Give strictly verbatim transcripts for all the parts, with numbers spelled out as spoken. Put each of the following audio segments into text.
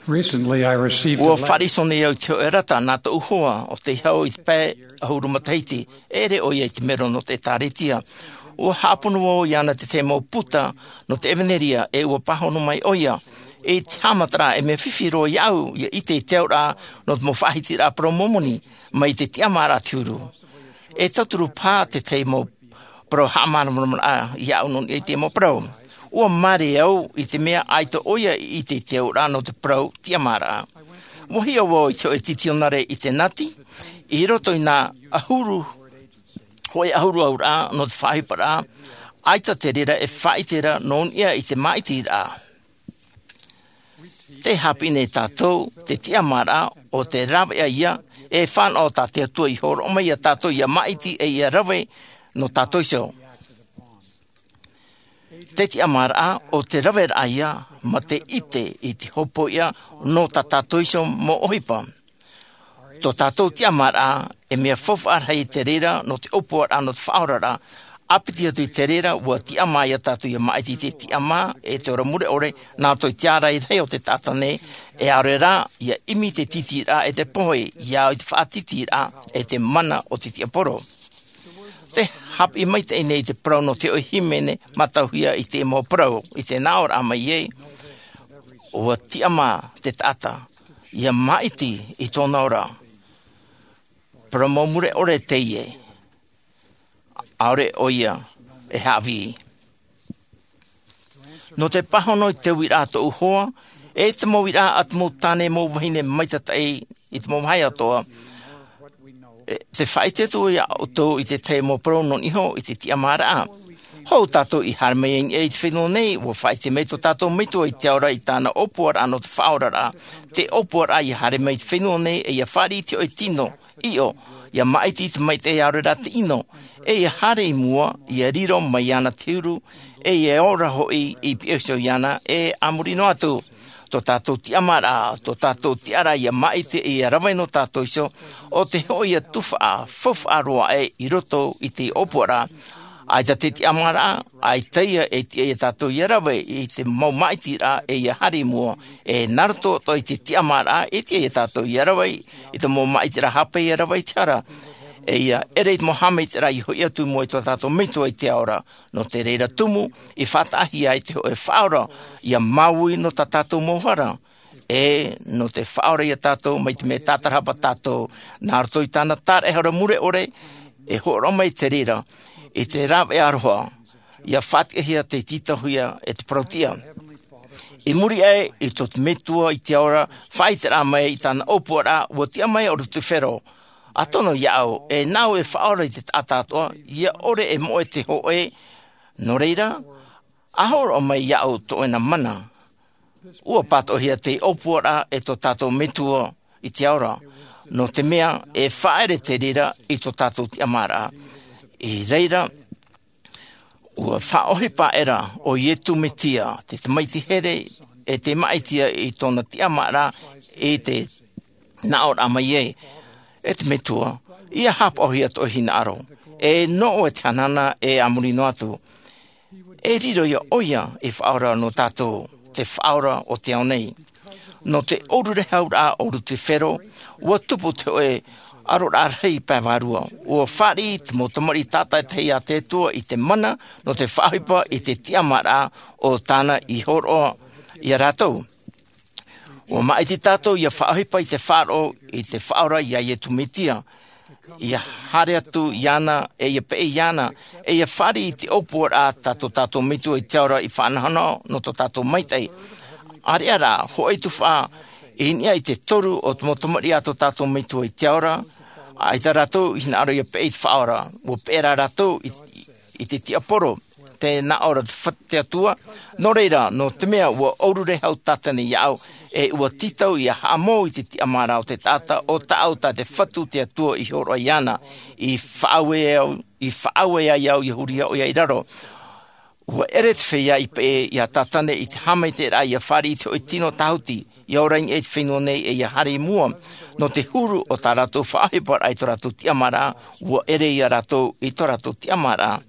Recently, I received a Ua letter. Fāriʻi nei au i te hōʻē rata nā tōʻu hoa ʻo tei hau i te pae ʻahuru matahiti, e ʻere ʻoia i te mero nō te ʻĒtārētia. Ua haʻapono vau iāna te tahi mau puta nō te ʻevanelia, e ua pāhono mai ʻoia i te haʻamataraʻa, e mea fifi roa iāʻu ʻia ʻite i te auraʻa nō te mau faʻahitiraʻa parau Mōmoni mai te tiʻamāraʻa te huru. E tauturu paha te tahi mau parau haʻamāramaramaraʻa iāʻu nō niʻa i te mau parau. Ua māere au i te mea ʻaita ʻoia i ʻite i te auraʻa nō te parau tiʻamāraʻa. Ua hiʻo vau i te hōʻē titionare i te nati, i roto i nā ʻahuru, hōʻē ʻahuru auraʻa nō te faʻaʻohiparaʻa, ʻaita te reira e faʻaʻite ra nō niʻa i te māʻitiraʻa. Tē haʻapiʻi nei tātou te tiʻamāraʻa ʻo te rāveʻa ïa e fānaʻo tā te Atua i hōroʻa mai iā tātou ʻia māʻiti e ʻia rave nō tātou iho. Te tiʻamāraʻa ʻo te raveraʻa ïa mā te ʻite i te hōpoiʻa nō tā tātou iho mau ʻohipa. Tō tātou tiʻamāraʻa e mea faufaʻa rahi i te reira nō te ʻōpuaraʻa nō te faʻaoraraʻa. ʻĀpiti atu i te reira, ua tiʻamā iā tātou ʻia māʻiti i te tiʻamā e te ora mure ʻore nā roto i te ārai rahi o te taʻata nei, e ʻaore rā ʻia ʻimi i te tītīraʻa e te pohe, ʻia au i te faʻatītīraʻa e te mana o te tiaporo. Tē haʻapiʻi maitaʻi nei te parau nō te hōʻē hīmene mātauhia i te mau parau, i te nāʻōraʻa mai ē, ua tiʻamā te taʻata ʻia māʻiti i tōna ora. Parau mau mure ʻore teie, ʻaore ʻoia e haʻavī. Nō te pāhono i te uiraʻa a tōʻu hoa, e te mau uiraʻa a te mau tāne, mau vahine maitataʻi i te mau vāhi atoʻa, e, tē faʻaʻite atu iā ʻoutou i te tahi mau parau nō niʻa iho i te tiʻamāraʻa. Hou tātou i haere mai i niʻa i te fenua nei, ua faʻaʻite mai tō tātou Metua i te Ao ra i tāna ʻōpuaraʻa nō te faʻaoraraʻa. Te ʻōpuaraʻa ʻia haere mai i te fenua nei, e ʻia fāriʻi i te hōʻē tino, ʻio, ʻia māʻiti i te maitaʻi ʻaore rā te ʻino, e ʻia haere i mua, ʻia riro mai iāna te huru, e ʻia ora hoʻi i piʻo iho iāna, e a muri noa atu. Tō tātou tiʻamāraʻa, tō tātou tiʻaraʻa ʻia māʻiti e ʻia rave nō tātou iho, ʻo te hōʻē tuhaʻa faufaʻa roa aʻe i roto i te ʻōpuaraʻa. ʻAita te tiʻamāraʻa, ʻaita ïa e tiʻa iā tātou ʻia rave i te mau māʻitiraʻa e ʻia haere i mua, e nā roto atoʻa i te tiʻamāraʻa, e tiʻa iā tātou ʻia rave i te mau māʻitiraʻa hape ʻia rave i te hara. E ʻia ʻere i te mau haʻamaitaʻiraʻa i hoʻi atu i mua i tō tātou Metua i te Ao ra. Nō te reira tumu, i faʻataʻahia ai te hōʻē faʻaora, ʻia māuiui nō tā tātou mau hara. E, nō te faʻaora iā tātou, mai te mea tātarahapa tātou, nā roto i tāna tāraʻehara mure ʻore, e hōroʻa mai te reira, i te rāveʻa aroha, ʻia faʻatiʻahia te tītauhia e te parauʻtiʻa. I muri aʻe i tō te Metua i te Ao ra, faʻaʻiteraʻa mai i tāna ʻōpuaraʻa, ua tiʻa mai ʻo Lutifero. ʻA tono iāʻu, e nāʻu e faʻaora i te taʻata atoʻa, ʻia ʻore e moʻe te hōʻē, nō reira, ʻa hōroʻa mai iāʻu tō ʻoe mana. Ua pātoʻihia te ʻōpuaraʻa e tō tātou Metua i te Ao ra, nō te mea e faʻaʻere te reira i tō tātou tiʻamāraʻa. I reira, ua faʻaʻohipa aʻera ʻo Iesu Mesia, te Tamaiti here, e tei māʻiti i tōna tiʻamāraʻa i te nāʻōraʻa mai ē, e te Metua, ʻia haʻapaʻohia tō ʻoe hinaʻaro, e nō ʻoe te hanahana e a muri noa atu. E riro ïa ʻoia ei faʻaora nō tātou, te faʻaora o te ao nei. Nō te ʻōrurehauraʻa o Lutifero, ua tupu te hōʻē aroraʻa rahi pae vārua. Ua fāriʻi te mau tamariʻi tātaʻitahi a te Atua i te mana, nō te faʻaʻohipa i te tiʻamāraʻa o tāna i hōroʻa iā rātou. Ua māʻiti tātou ʻia faʻaʻohipa i te faʻaroʻo, i te faʻaora iā Iesu Mesia. ʻIa haere atu iāna, e ʻia peʻe iāna, e ʻia fāriʻi i te ʻōpuaraʻa tā tō tātou Metua i te Ao ra i faʻanahonaho nō tō tātou maitaʻi. ʻĀreʻa rā, hōʻē tuhaʻa i niʻa i te toru o te mau tamariʻi a tō tātou Metua i te Ao ra, ʻaita rātou i hinaʻaro ʻia peʻe i te faʻaora, ua peʻe rā rātou i, i te tiaporo, tē nā ʻō ra te fa-, te Atua. Nō reira, nō te mea ua ʻōrurehau Sātane iāʻu, e ua tītau ʻia haʻamou i te tiʻamāraʻa o te taʻata, ʻo tāʻu tā te Fatu te Atua i hōroʻa iāna, i faʻaue au, i faʻaue ai au ʻia huri ʻoia i raro. Ua ʻere te feiā i peʻe iā Sātane i te haʻamaitaʻiraʻa ʻia fāriʻi i te hōʻē tino tāhuti, ʻia ora i niʻa i te fenua nei e ʻia haere i mua. Nō te huru o tā rātou faʻaʻohiparaʻa i tō rātou tiʻamāraʻa, ua ʻere ia rātou i tō rātou tiʻamāraʻa.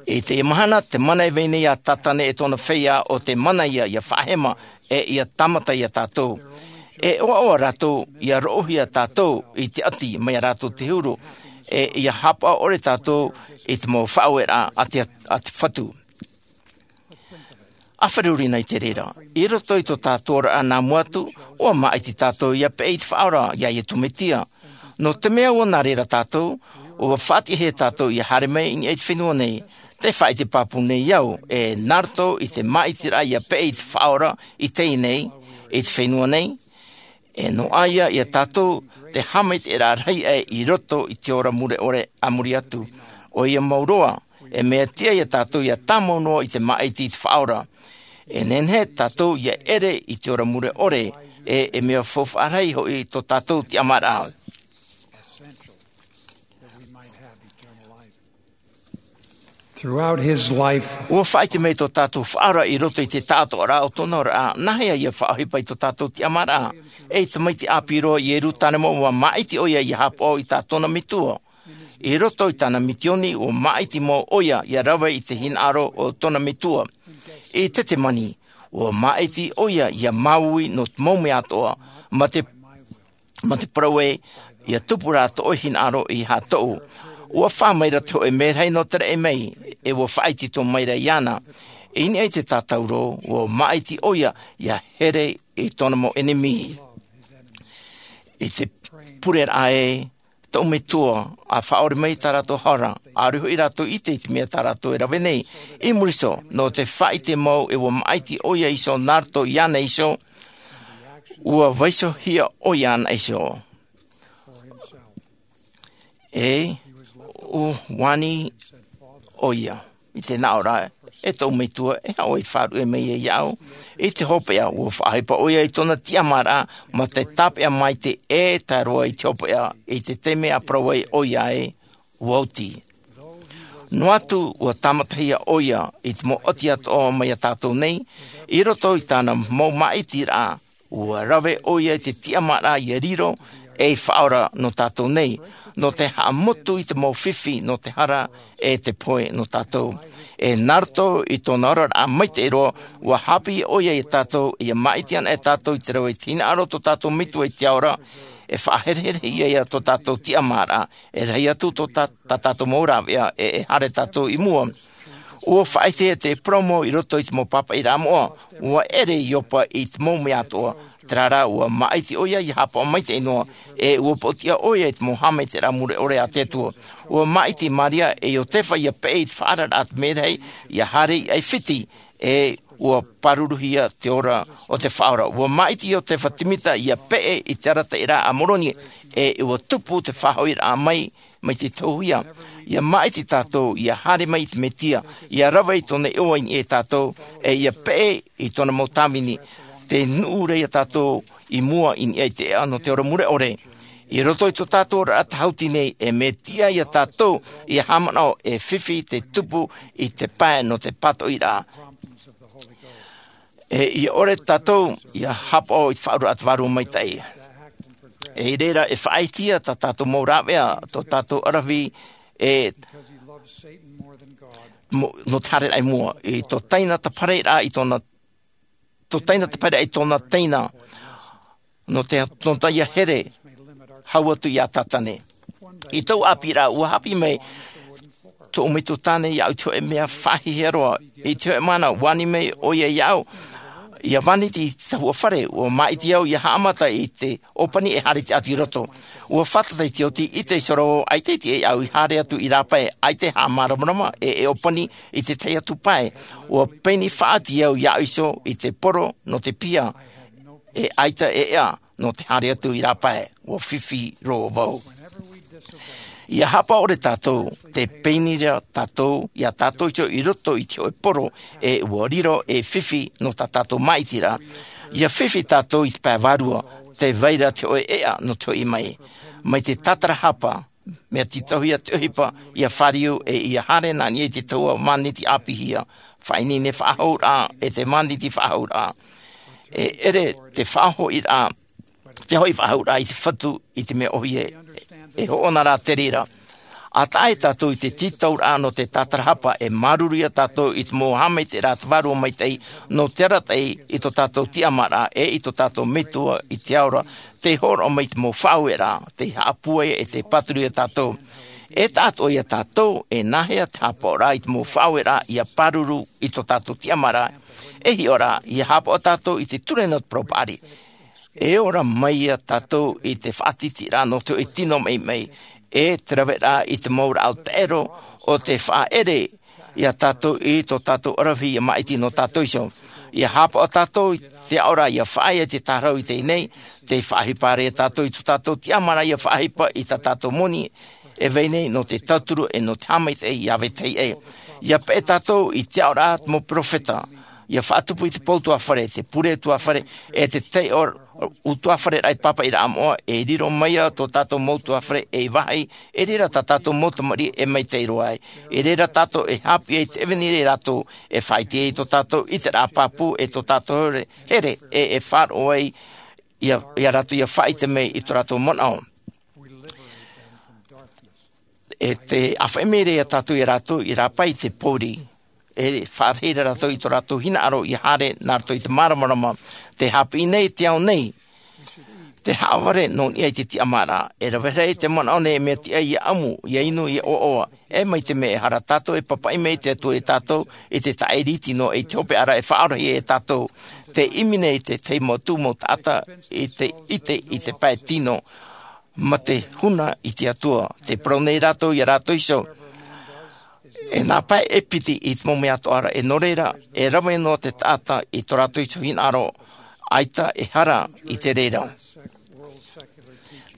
I teie mahana te mana e vai nei a Tātane e tōna feiā o te mana ia ia faʻahema e ia tāmata ia tātou. E ʻoaʻoa rātou ia roʻohia tātou i te ʻati mai a rātou te huru, e ia hapaʻo ʻore tātou i te mau faʻaueraʻa a te, a te Fatu. A fārerei nei te reira, i roto i tō tātou oraraʻa nā mua atu, ʻua māʻiti tātou ia peʻe i te Faʻaora, ia Iesu Mesia. Nō te mea ʻua nā reira tātou, ʻua faʻatiʻahia tātou ia haere mai i niʻa i te fenua nei. Tē faʻaʻite pāpū nei au, e nā roto i te māʻitiraʻa ia peʻe i te Faʻaora i teie nei, i te fenua nei, e noaʻa ia tātou te haʻamaitaʻiraʻa rahi aʻe i roto i te ora mure ʻore a muri atu. ʻOia mau roa, e mea tiʻa ia tātou ia tāmau noa i te māʻiti i te Faʻaora. E nehenehe tātou ia ʻere i te ora mure ʻore, e, e mea faufaʻa rahi hoʻi tō tātou tiʻamāraʻa. Throughout his life, ʻua faʻaʻite mai tō tātou Faʻaora i roto i te taʻatoʻaraʻa o tōna oraraʻa, nāhea ia faʻaʻohipa i tō tātou tiʻamāraʻa. E i te tamaiti ʻāpī roa i Ierusalema, ʻua māʻiti ʻoia ia hapaʻo i tā tōna metua. I roto i tāna misioni, ʻua māʻiti mau ʻoia ia rave i te hinaʻaro o tōna metua. I Tetemani, ʻua māʻiti ʻoia ia māuiui nō te mau mea atoʻa, mā te, mā te parau ē, ia tupu rā tō ʻoe hinaʻaro i hātoʻu. ʻUa fā maira te hōʻē merahi nō te raʻi mai, e ʻua faʻaitoito maira iāna. I niʻa i te tātauro, ʻua māʻiti ʻoia ia here i tōna mau ʻenemi. I te pureraʻa ē, tōʻu metua, ʻa faʻaʻore mai tā rātou hara, ʻa ʻore hoʻi rātou ʻite i te mea tā rātou e rave nei. I muri iho, nō te faʻaʻite mau ē ʻua māʻiti ʻoia iho nā roto iāna iho, ʻua vaiihohia ʻoia anaʻe iho. E ʻua ani ʻoia i te nāʻōraʻa, e tōʻu metua, e aha ʻoe i faʻaruʻe mai ai iāʻu? I te hopeʻa, ʻua faʻaʻohipa ʻoia i tōna tiʻamāraʻa, mā te tāpeʻa maitaʻi e tae roa i te hopeʻa, i te taime a parau ai ʻoia ē, ʻua oti. Noa atu ʻua tāmatahia ʻoia i te mau ʻati atoʻa mai iā tātou nei, i roto i tāna mau māʻitiraʻa, ʻua rave ʻoia i te tiʻamāraʻa ia riro ei Faʻaora nō tātou nei, nō te haʻamotu i te mau fifi nō te hara e te pohe nō tātou. E nā roto i tōna oraraʻa maitaʻi roa, ʻua haʻapiʻi ʻoia iā tātou, ia māʻiti anaʻe tātou i te rave i te hinaʻaro o tō tātou Metua i te ao ra, e faʻahereherehia ia tō tātou tiʻamāraʻa, e rahi atu tō tā, tā tātou mau rāveʻa, e, e haere tātou i mua. ʻUa faʻaʻitehia te parau mau i roto i te mau pāpaʻiraʻa moʻa, ʻua ʻere Ioba i te mau mea atoʻa, terā rā, ʻua māʻiti ʻoia ia haʻapaʻo maitaʻi noa, e ʻua pōtiʻa ʻoia i te mau haʻamaitaʻiraʻa mure ʻore a te Atua. ʻUa māʻiti Maria e Iosefa ia peʻe i te faʻaararaʻa a te merahi, ia haere i ʻAifiti, e ʻua pāruruhia te ora o te Faʻaora. ʻUa māʻiti Iosefa Semita ia peʻe i te arataʻiraʻa a Moroni, e ʻua tupu te faʻahoʻiraʻa mai, mai te tohuhia. Ia māʻiti tātou, ia haere mai i te Mesia, ia rave i tōna iʻoa i niʻa ia tātou, e ia peʻe i tōna mau tāvini, tē nuʻu ra ia tātou i mua i niʻa i te ʻēʻa nō te ora mure ʻore. I roto i tō tātou oraraʻa tāhuti nei, e mea tiʻa ia tātou ia haʻamanaʻo e fifi te tupu i te pae nō te pātoʻiraʻa. E ia ʻore tātou ia haʻapaʻo i te faʻaauraʻa a te Vārua Maitaʻi. E i reira e faʻaʻitehia tā tātou mau rāveʻa, tō tātou ʻaravihi, e mo-, nō te haereraʻa i mua, i tō Taina Tapaʻiraʻa i tōna, tō Taina Tapaʻiraʻa i tōna teina, nō te, nō teie here, hau atu iā Tātane. I tōʻu ʻāpīraʻa, ʻua haʻapiʻi mai tōʻu metua tāne iāʻu i te hōʻē mea faʻahiahia roa. I te hōʻē mahana, ʻua ani mai ʻoia iāʻu, ia vāniti i te tahua fare, ʻua māʻiti au ia haʻamata i te ʻōpani e haere i te ʻati i roto. ʻUa fātata i te oti, ʻite iho roa vau, ʻaita e tiʻa iāʻu i haere atu i rāpae, ʻaita e haʻamāramarama, e, e ʻōpani i te tahi atu pae. ʻUa peni faʻati au iāʻu iho i te poro nō te piha, e ʻaita e ʻea nō te haere atu i rāpae, ʻua fifi roa vau. ʻIa haʻapaʻo ʻore tātou, tē peni ra tātou, iā tātou iho i roto i te hōʻē poro, e ʻua riro ei fifi nō tā tātou māʻitiraʻa. ʻIa fifi tātou i te pae vārua, tē vai ra te hōʻē ʻea nō te hoʻi mai. Mai te tātarahapa, mea tītauhia te ʻohipa, ʻia fāriu, e ʻia haere nā niʻa i te tahua māniti ʻāpīhia, faʻaineine faʻahouraʻa, e te māniti faʻahouraʻa. E ʻere te faʻahoʻiraʻa, te hoʻi faʻahouraʻa i te Fatu, i te mea ʻōhie, e hoʻona rā te reira. A taʻa e tātou i te tītauraʻa nō te tātarahapa, e māuruuru ia tātou i te mau haʻamaitaʻiraʻa te vārua maitaʻi nō te arataʻi i tō tātou tiʻamāraʻa e i tō tātou metua i te ao ra, te hōroʻa mai i te mau faʻaueraʻa, te haʻapūai e te pāturu ia tātou. E taʻatoʻa ia tātou e nāhea te hāpaʻoraʻa i te mau faʻaueraʻa ia pāruru i tō tātou tiʻamāraʻa. E hiʻo ra ia hāpaʻo tātou i te ture nō te parau paʻari. E ora mai ia tātou i te faʻatītīraʻa nō te hoʻi tino maʻimaʻi, e te raveraʻa i te mau rāʻau taʻero o te faʻaʻere ia tātou i tō tātou ʻaravihi ia māʻiti nō tātou iho. Ia hāpaʻo tātou i te aʻoraʻa ia faʻaea te tārahu i teie nei, te faʻaʻohipa ra ia tātou i tō tātou tiʻamāraʻa ia faʻaʻohipa i tā tātou moni e vai nei nō te tauturu e nō te haʻamaitaʻi ia vetahi ʻē. Ia peʻe tātou i te aʻoraʻa te mau peropheta ia faʻatupu i te pou utuāfare, te pure utuāfare, e te taiʻo utuāfare raʻa i te pāpaʻiraʻa moʻa, e riro mai ia tō tātou mau utuāfare ei vāhi, e reira tā tātou mau tamariʻi e maitaʻi roa ai. E reira tātou e haʻapiʻi ai te ʻevaniria ia rātou, e faʻaʻite ai tō tātou ʻiteraʻa pāpū e tō tātou here, here e e faʻaroʻo ai ia, ia rātou ia faʻaʻite mai i tō rātou manaʻo. E te ʻāfaʻi mai ra ia tātou ia rātou i rāpae i te pōuri. E faʻarahi ra rātou i tō rātou hinaʻaro ia haere nā roto i te māramarama. Te haʻapiʻi nei te ao nei, te haʻavare nō niʻa i te tiʻamāraʻa. E rave rahi te manaʻo nei e mea tiʻa ia ʻamu, ia inu, ia ʻoaʻoa. E mai te mea e hara tātou e papaʻi mai te Atua ia tātou i te taʻiriti noa i te hopeʻa ra e faʻarohi ia tātou. Te ʻimi nei te tahi mau tū mau taʻata i te ʻite i te pae tino ma te huna i te Atua, te parau nei rātou ia rātou iho. E nā pae e piti i te mau mea atoʻa ra, e nō reira, e rave noa te taʻata i tō rātou iho hinaʻaro, ʻaita e hara i te reira.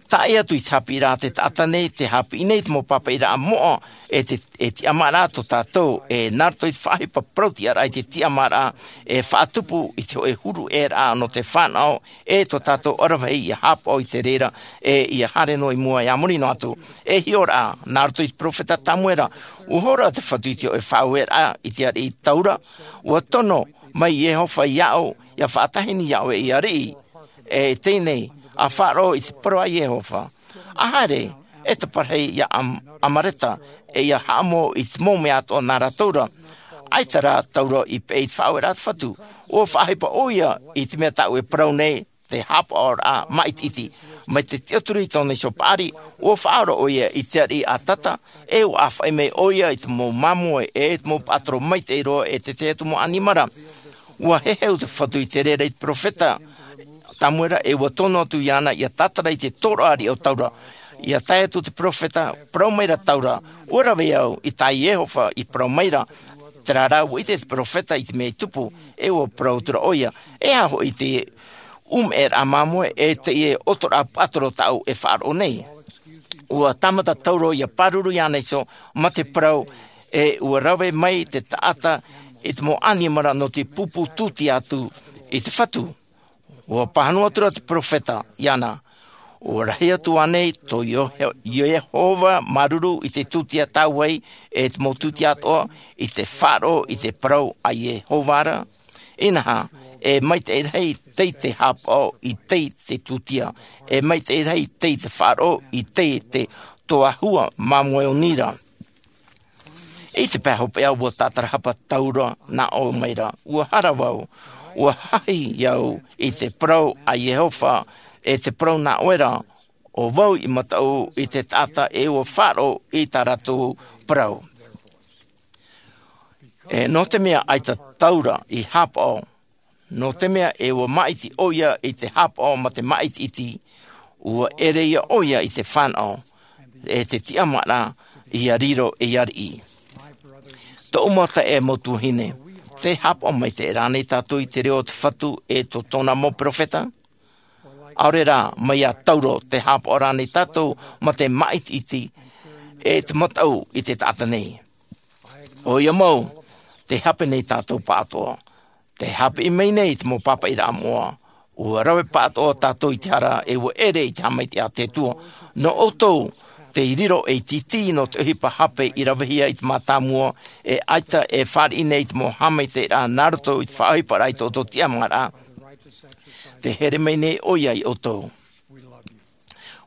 Taʻe atu i te haʻapiʻiraʻa te taʻata nei, te haʻapiʻi nei te mau pāpaʻiraʻa moʻa, e te, e tiʻamāraʻa tō tātou, e nā roto i te faʻaʻohipa parau-tiʻaraʻa i te tiʻamāraʻa, e faʻatupu i te hoʻi huru ʻē raʻa nō te fānaʻo, e tō tātou ʻaravihi ia hāpaʻo i te reira, e ia haere noa i mua ia muri noa atu. E hiʻo ra, nā roto i te peropheta Tamuera, ʻua hōroʻa te Fatu i te hoʻi faʻaueraʻa i te ariʻi taura, ʻua tono mai Iehova iāʻu, ia faʻatahini iāʻu ei ariʻi. E teie nei, ʻa faʻaroʻo i te parau a Iehova. ʻA haere, e taparahi ia Am-, Amareta, e ia haʻamou i te mau mea atoʻa nā rātou ra. ʻAita rā taura i peʻe i te faʻaueraʻa a te Fatu. ʻUa faʻaʻohipa ʻoia i te mea tāʻu e parau nei, te hāpaʻoraʻa māʻitiʻiti. Mai te tiʻaturi i tōna iho paʻari, ʻua faʻaora ʻoia i te ariʻi ʻAtata, e ʻua ʻāfaʻi mai ʻoia i te mau māmoe, e te mau paʻatoro maitaʻi roa, e te tahi atu mau ʻanimara. ʻUa heheu te Fatu i te reira i te peropheta Tamuera, e ʻua tono atu iāna ia tātara i te tōroʻa ariʻi o taura. Ia tae atu te peropheta, parau mai ra taura, ʻua rave au i tā Iehova i parau mai ra. Terā rā ʻua ʻite te peropheta i te mea i tupu, e ʻua parau atu ra ʻoia. E aha hoʻi te ʻumeʻeraʻa māmoe, e teie ʻotoraʻa paʻatoro tāʻu e faʻaroʻo nei? ʻUa tāmata taura ia pāruru iāna iho ma te parau, e ʻua rave mai te taʻata i te mau ʻanimara nō te pūpū tūtia atu i te Fatu. ʻUa pāhono atu ra te peropheta iāna. ʻUa rahi atu ānei tō Io-, Iehova māuruuru i te tūtia tāuaʻi, e te mau tūtia atoʻa, i te faʻaroʻo i te parau a Iehova ra? Inaha, e maitaʻi rahi tei te hāpaʻo i tei te tūtia, e maitaʻi rahi tei te faʻaroʻo i tei te toahua māmoe o Nira. I te pae hopeʻa ʻua tātarahapa taura, nāʻō mai ra, ʻua hara vau, ʻua hahi au i te parau a Iehova, e te parau nāʻō ra, ʻo vau i mataʻu i te taʻata e ʻua faʻaroʻo i tā rātou parau. E nō te mea ʻaita taura i hāpaʻo, nō te mea e ʻua māʻiti ʻoia i te hāpaʻo ma te māʻitiʻiti, ʻua ʻere ia ʻoia i te fānaʻo, e te tiʻamāraʻa ia riro ei ariʻi. Tōʻu mau taeaʻe, mau tuahine, tē hāpaʻo maitaʻi rānei tātou i te reo o te Fatu e tō tōna mau peropheta? ʻAore rā, mai iā Tauro, tē hāpaʻo rānei tātou ma te māʻitiʻiti e te mataʻu i te taʻata nei? ʻOia mau, tē hape nei tātou pāʻatoʻa. Tē haʻapiʻi mai nei te mau pāpaʻiraʻa moʻa. ʻUa rave pāʻatoʻa tātou i te hara e ʻua ʻere i te haʻamaitaʻi a te Atua. Nō ʻoutou, tei riro ei tītī nō te ʻohipa hape i ravehia i te mātāmua, e ʻaita e fāriʻi nei i te mau haʻamaitaʻiraʻa nā roto i te faʻaʻohiparaʻa i tō ʻoutou tiʻamāraʻa. Tē here mai nei ʻoia iā ʻoutou.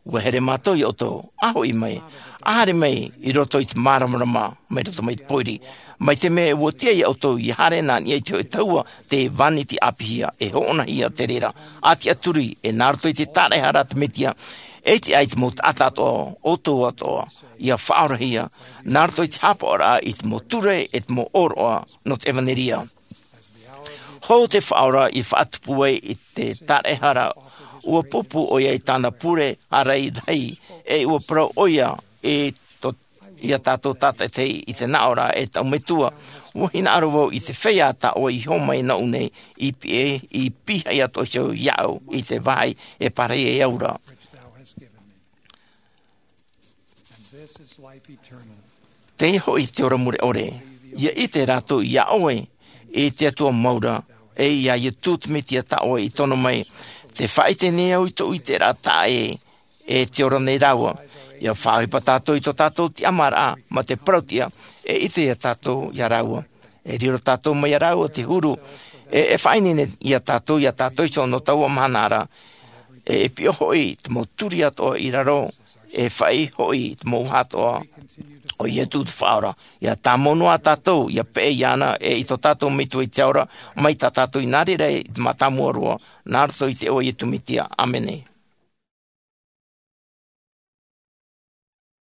Ua here mātou iā ʻoutou, a hoʻi mai, a haere mai i roto i te māramarama, mai roto mai te pōiri. Mai te mea ua tiʻa iā ʻoutou ia haere nā niʻa i te hoʻi tahua, te vāniti ʻāpīhia, e hōʻonahia te reira, a tiʻaturi, e nā roto i te tāraʻehara a te Mesia, e tiʻa i te mau taʻata atoʻa, ʻoutou atoʻa, ia faʻaorahia, nā roto i te hapaʻoraʻa i te mau ture, e te mau ʻōroʻa, nō te ʻevanelia. Hou te Faʻaora i faʻatupu ai i te tāraʻehara, ua pūpū ʻoia i tāna pure ārai rahi, e ua parau ʻoia i tō, iā tātou tātaʻitahi i te nā ʻō ra, e taʻu Metua, ua hinaʻaro vau i te feiā tā ʻoe i hōmai nōʻu nei, i pīhaʻi, i pīhaʻi atu iāʻu i te vāhi e pārahi ai au ra. Teie hoʻi te ora mure ʻore, ia ʻite rātou iā ʻoe, e te Atua mau ra, e iā Iesu te Mesia tā ʻoe i tono mai, te faʻaʻite nei au i tōʻu ʻiteraʻa taʻa ʻē, e te ora nei rāua, ia faʻaʻohipa tātou i tō tātou tiʻamāraʻa, mā te parau-tiʻa, e ʻite iā tātou iā rāua. E riro tātou mai iā rāua te huru, e, e faʻaineine iā tātou, iā tātou iho nō taua mahana ra, e, e piʻo hoʻi te mau turi atoʻa i raro, e faʻaʻī hoʻi te mau vaha atoʻa, ʻo Iesu te Faʻaora, ia tāmau noa tātou, ia peʻe iāna, e i tō tātou Metua i te ao ra, mai tā tātou i nā reira i te mātāmua roa, nā roto i te iʻoa o Iesu Mesia. ʻĀmene.